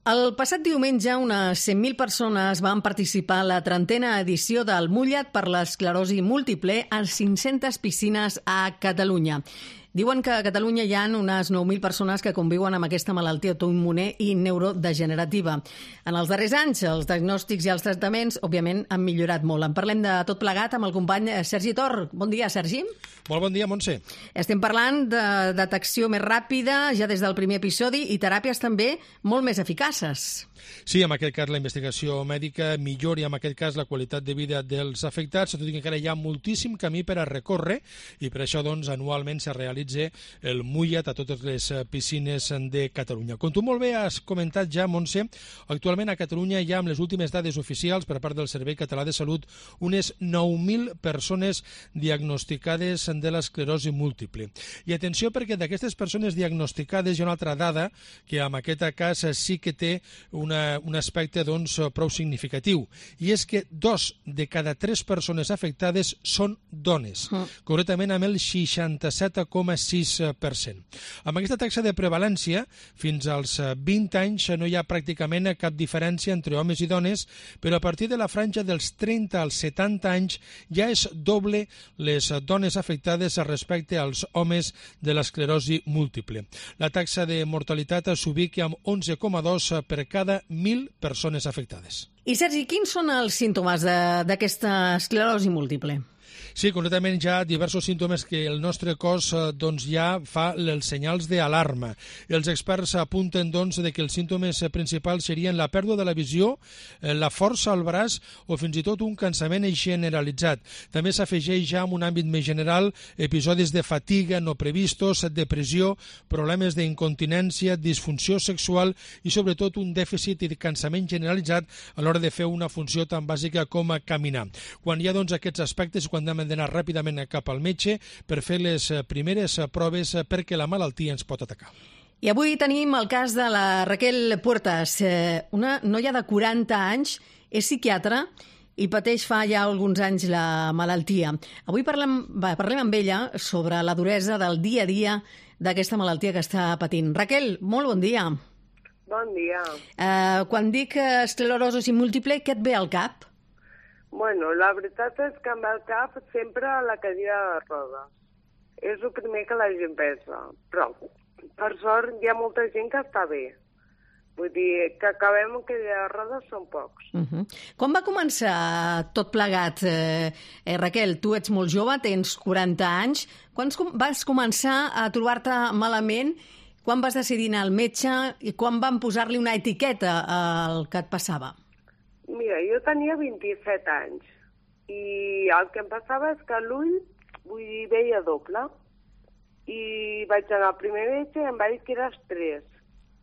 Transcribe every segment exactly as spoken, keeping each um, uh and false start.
El passat diumenge, unes cent mil persones van participar a la trentena edició del Mullet per l'esclerosi múltiple a cinc-centes piscines a Catalunya. Diuen que a Catalunya hi ha unes nou mil persones que conviuen amb aquesta malaltia autoimmune i neurodegenerativa. En els darrers anys, els diagnòstics i els tractaments, òbviament, han millorat molt. En parlem de tot plegat amb el company Sergi Tor. Bon dia, Sergi. Molt bon dia, Montse. Estem parlant de detecció més ràpida, ja des del primer episodi, i teràpies també molt més eficaces. Sí, en aquest cas la investigació mèdica millora en aquest cas la qualitat de vida dels afectats, tot i que encara hi ha moltíssim camí per a recórrer i per això doncs anualment se realitza el Mullet a totes les piscines de Catalunya. Com tu molt bé has comentat ja, Montse, actualment a Catalunya hi ha, amb les últimes dades oficials per part del Servei Català de Salut, unes nou mil persones diagnosticades de l'esclerosi múltiple. I atenció perquè d'aquestes persones diagnosticades hi ha una altra dada que en aquest cas sí que té una, un aspecte doncs, prou significatiu, i és que dos de cada tres persones afectades són dones, mm. concretament amb el seixanta-set coma sis per cent. Amb aquesta taxa de prevalència, fins als vint anys no hi ha pràcticament cap diferència entre homes i dones, però a partir de la franja dels trenta als setanta anys ja és doble les dones afectades respecte als homes de l'esclerosi múltiple. La taxa de mortalitat s'ubica amb onze coma dos per cada mil persones afectades. I Sergi, quins són els símptomes d'aquesta esclerosi múltiple? Sí, concretament hi ha diversos símptomes que el nostre cos doncs, ja fa els senyals d'alarma. Els experts apunten doncs, de que els símptomes principals serien la pèrdua de la visió, la força al braç o fins i tot un cansament generalitzat. També s'afegeix ja en un àmbit més general episodis de fatiga no previstos, depressió, problemes d'incontinència, disfunció sexual i sobretot un dèficit i de cansament generalitzat a l'hora de fer una funció tan bàsica com caminar. Quan hi ha doncs, aquests aspectes, quan hem d'anar ràpidament cap al metge per fer les primeres proves perquè la malaltia ens pot atacar. I avui tenim el cas de la Raquel Puertas, una noia de quaranta anys, és psiquiatra i pateix fa ja alguns anys la malaltia. Avui parlem, va, parlem amb ella sobre la duresa del dia a dia d'aquesta malaltia que està patint. Raquel, molt bon dia. Bon dia. Uh, quan dic esclerosi múltiple, què et ve al cap? Bueno, la veritat és que em ve al cap sempre la cadira de rodes. És el primer que la gent pensa. Però, per sort, hi ha molta gent que està bé. Vull dir, que acabem amb cadira de rodes són pocs. Uh -huh. Com va començar tot plegat? Eh, eh, Raquel, tu ets molt jove, tens quaranta anys. Quan vas començar a trobar-te malament? Quan vas decidir anar al metge? I quan van posar-li una etiqueta al que et passava? Mira, jo tenia vint-i-set anys i el que em passava és que l'ull, vull dir, veia doble. I vaig anar al primer metge i em va dir que era estrès.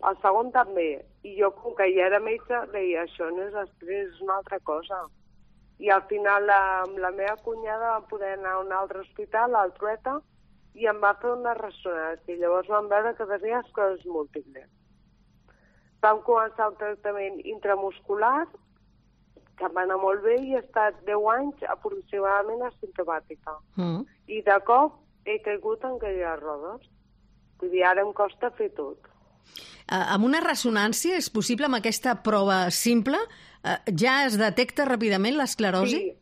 El segon també. I jo, com que ja era metge, deia, això no és estrès, és una altra cosa. I al final la, amb la meva cunyada vam poder anar a un altre hospital, al Trueta, i em va fer una ressonància. I llavors vam veure que tenia esclerosi múltiple. Vam començar el tractament intramuscular, que va anar molt bé i he estat deu anys aproximadament asimptomàtica. Mm. I de cop he caigut en cadira de rodes. Vull dir, ara em costa fer tot. Uh, amb una ressonància és possible, amb aquesta prova simple, uh, ja es detecta ràpidament l'esclerosi? Sí,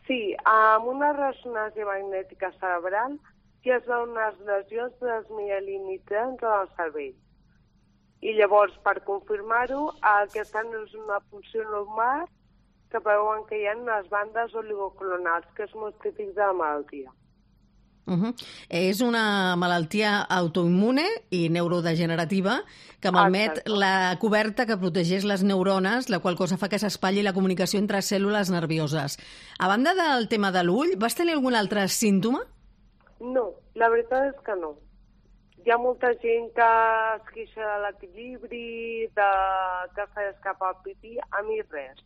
sí, amb una ressonància magnètica cerebral ja es veuen unes lesions desmielinitzants al cervell. I llavors, per confirmar-ho, aquesta no és una funció normal, que veuen que hi ha unes bandes oligoclonals, que és molt típic de la malaltia. Uh -huh. És una malaltia autoimmune i neurodegenerativa que malmet Exacte. la coberta que protegeix les neurones, la qual cosa fa que s'espatlli la comunicació entre cèl·lules nervioses. A banda del tema de l'ull, vas tenir algun altre símptoma? No, la veritat és que no. Hi ha molta gent que es queixa de l'equilibri, de que s'ha d'escapar el pipí, a mi res.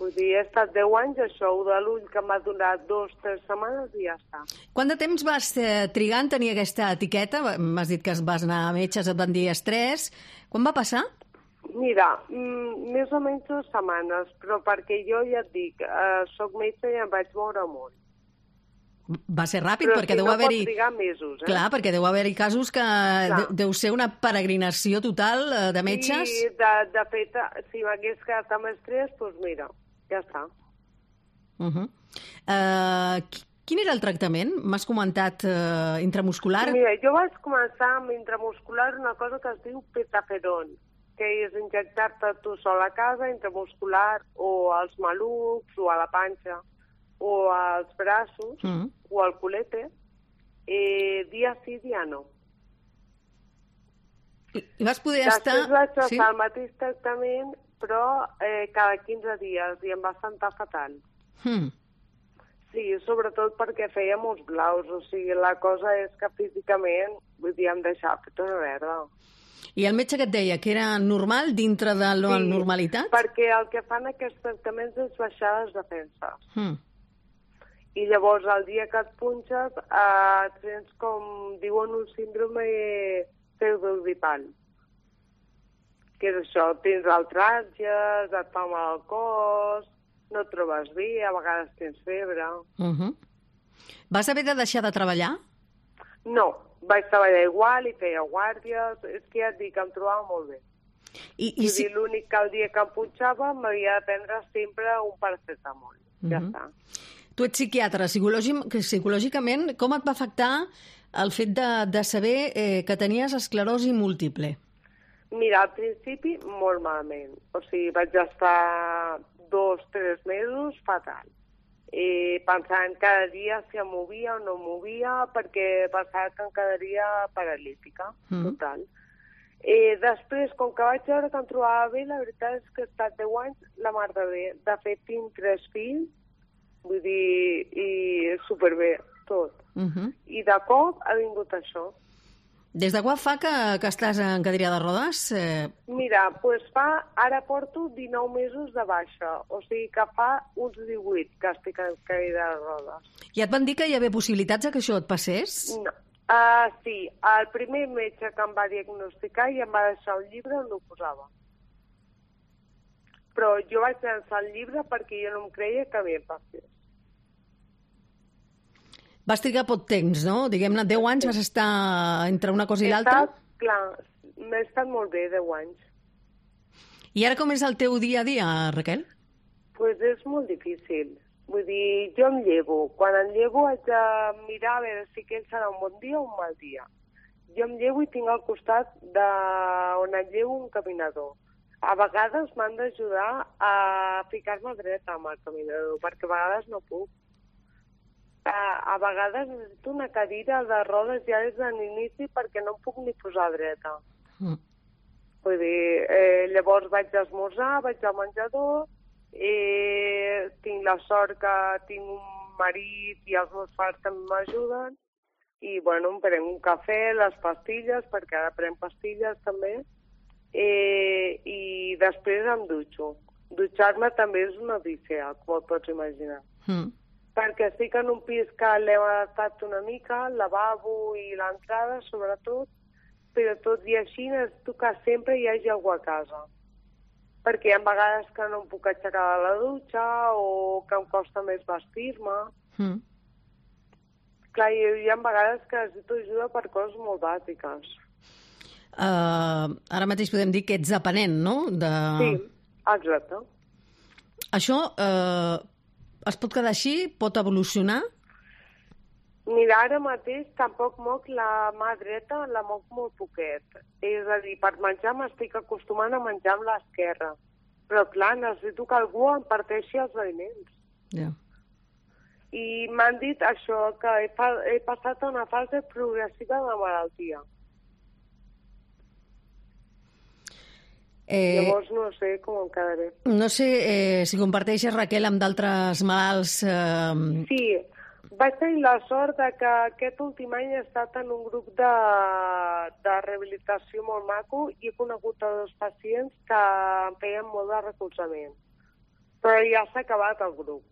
Vull dir, he estat deu anys, això de l'ull que m'ha donat dos, tres setmanes i ja està. Quant de temps vas eh, trigar en tenir aquesta etiqueta? M'has dit que vas anar a metges, et van dir estrès. Quan va passar? Mira, mm, més o menys dues setmanes, però perquè jo ja et dic, eh, soc metge i em vaig moure molt. Va ser ràpid, Però perquè si deu no haver-hi... pot trigar mesos, eh? Clar, perquè deu haver-hi casos que de, deu ser una peregrinació total eh, de metges. I, de, de fet, si m'hagués quedat amb estrès, doncs mira, ja està. Uh -huh. uh, quin era el tractament? M'has comentat uh, intramuscular? Mira, jo vaig començar amb intramuscular una cosa que es diu petaferon, que és injectar-te tu sol a casa, intramuscular, o als malucs, o a la panxa, o als braços, mm. o al culete, eh, dia sí, dia no. I, i vas poder Després estar... vaig fer sí? el mateix tractament, però eh, cada quinze dies, i em va sentar fatal. Mm. Sí, sobretot perquè feia molts blaus, o sigui, la cosa és que físicament, vull dir, em deixava tota una verda. I el metge que et deia que era normal dintre de la sí, normalitat? perquè el que fan aquests tractaments és baixar les defenses. Mm. I llavors, el dia que et punxes, eh, tens com, diuen, un síndrome pseudogripal. Que és això, tens altràlgies, et fa mal al cos, no et trobes bé, a vegades tens febre. Uh -huh. Vas haver de deixar de treballar? No, vaig treballar igual i feia guàrdies, és que ja et dic, em trobava molt bé. I, i si... l'únic que el dia que em punxava m'havia de prendre sempre un paracetamol. Uh -huh. Ja està. Tu ets psiquiatre, psicològic, psicològicament, com et va afectar el fet de, de saber eh, que tenies esclerosi múltiple? Mira, al principi molt malament. O sigui, vaig estar dos, tres mesos fatal. Eh, pensant cada dia si em movia o no em movia, perquè pensava que em quedaria paralítica, mm. total. Eh, després, com que vaig veure que em trobava bé, la veritat és que he estat deu anys la mar de bé. De fet, tinc tres fills, vull dir, i superbé, tot. Uh-huh. I de cop ha vingut això. Des de quan fa que, que estàs en cadira de rodes? Eh... Mira, doncs pues fa, ara porto dinou mesos de baixa, o sigui que fa uns divuit que estic en cadira de rodes. I et van dir que hi havia possibilitats de que això et passés? No. Uh, sí, el primer metge que em va diagnosticar i em va deixar un llibre on ho posava. Però jo vaig llançar el llibre perquè jo no em creia que havia passat. Vas trigar poc temps, no? Diguem-ne, deu anys vas estar entre una cosa i l'altra? Clar, m'he estat molt bé, deu anys. I ara com és el teu dia a dia, Raquel? Doncs pues és molt difícil. Vull dir, jo em llevo. Quan em llevo haig de mirar a veure si aquell serà un bon dia o un mal dia. Jo em llevo i tinc al costat de on em llevo un caminador. A vegades m'han d'ajudar a ficar-me dreta amb el caminador, perquè a vegades no puc. A, a vegades necessito una cadira de rodes ja des de l'inici perquè no em puc ni posar dreta. Mm. Vull dir, eh, llavors vaig a esmorzar, vaig al menjador, eh, tinc la sort que tinc un marit i els meus pares també m'ajuden, i bueno, em prenc un cafè, les pastilles, perquè ara prenc pastilles també, eh, i després em dutxo. Dutxar-me també és una odissea, com et pots imaginar. Mm. Perquè estic en un pis que l'hem adaptat una mica, el lavabo i l'entrada, sobretot, però tot i així necessito que sempre hi hagi algú a casa. Perquè hi ha vegades que no em puc aixecar de la dutxa o que em costa més vestir-me. Mm. Clar, hi ha vegades que necessito ajuda per coses molt bàsiques. Uh, ara mateix podem dir que ets dependent, no? De... Sí, exacte. Això... Uh... Es pot quedar així? Pot evolucionar? Mira, ara mateix tampoc moc la mà dreta, la moc molt poquet. És a dir, per menjar m'estic acostumant a menjar amb l'esquerra. Però, clar, necessito que algú em parteixi els aliments. Yeah. I m'han dit això, que he, fa, he passat a una fase progressiva de malaltia. Eh, Llavors no sé com em quedaré. No sé eh, si comparteixes, Raquel, amb d'altres malalts... Eh... Sí, vaig tenir la sort de que aquest últim any he estat en un grup de, de rehabilitació molt maco i he conegut a dos pacients que em feien molt de recolzament. Però ja s'ha acabat el grup.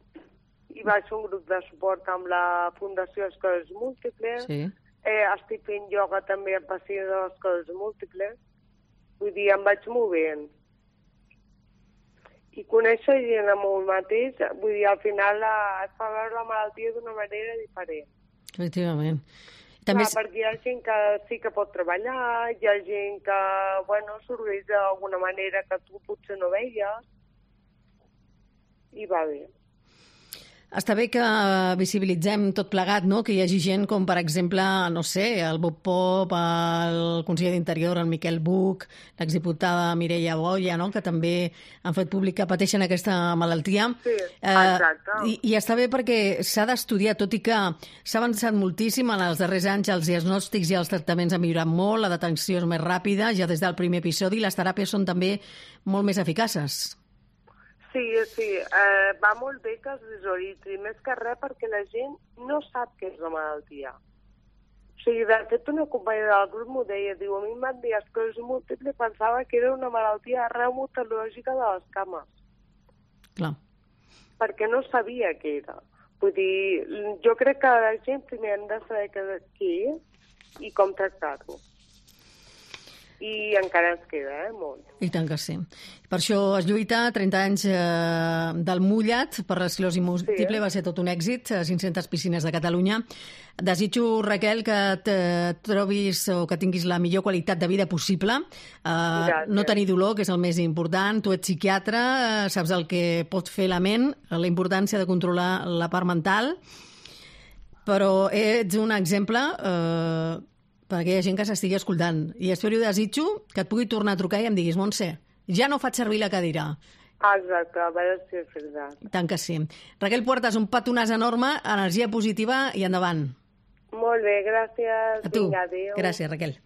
I vaig fer un grup de suport amb la Fundació Escoles Múltiples. Sí. Eh, estic fent ioga també amb pacients de les Escoles Múltiples. Vull dir, em vaig movent. i conèixer gent amb un mateix, vull dir, al final la, es fa veure la malaltia d'una manera diferent. Efectivament. També... Clar, perquè hi ha gent que sí que pot treballar, hi ha gent que, bueno, s'organitza d'alguna manera que tu potser no veies, i va bé. Està bé que visibilitzem tot plegat, no? Que hi hagi gent com, per exemple, no sé, el Bob Pop, el conseller d'Interior, el Miquel Buch, l'exdiputada Mireia Boya, no? Que també han fet públic que pateixen aquesta malaltia. Sí, exacte. Eh, i, I està bé perquè s'ha d'estudiar, tot i que s'ha avançat moltíssim en els darrers anys, els diagnòstics i els tractaments han millorat molt, la detenció és més ràpida, ja des del primer episodi, i les teràpies són també molt més eficaces. Sí, sí, eh, va molt bé que es visualitzi, més que res perquè la gent no sap què és la malaltia. O sigui, de fet, una companya del grup m'ho deia, diu, a mi em van dir esclerosi múltiple, pensava que era una malaltia reumatològica de les cames. Clar. Perquè no sabia què era. Vull dir, jo crec que la gent primer hem de saber què és i com tractar-ho. I encara ens queda, eh, molt. I tant que sí. Per això es lluita, trenta anys eh, del mullat per l'esclerosi múltiple, sí. Va ser tot un èxit, cinc-centes piscines de Catalunya. Desitjo, Raquel, que te trobis o que tinguis la millor qualitat de vida possible, eh, no tenir dolor, que és el més important. Tu ets psiquiatre, eh, saps el que pot fer la ment, la importància de controlar la part mental, però ets un exemple... Eh, per aquella gent que s'estigui escoltant. I espero i desitjo que et pugui tornar a trucar i em diguis, Montse, ja no faig servir la cadira. Exacte, a veure si és veritat. Tant que sí. Raquel Puertas, un petonàs enorme, energia positiva i endavant. Molt bé, gràcies. A tu. Vinga, adéu. Gràcies, Raquel.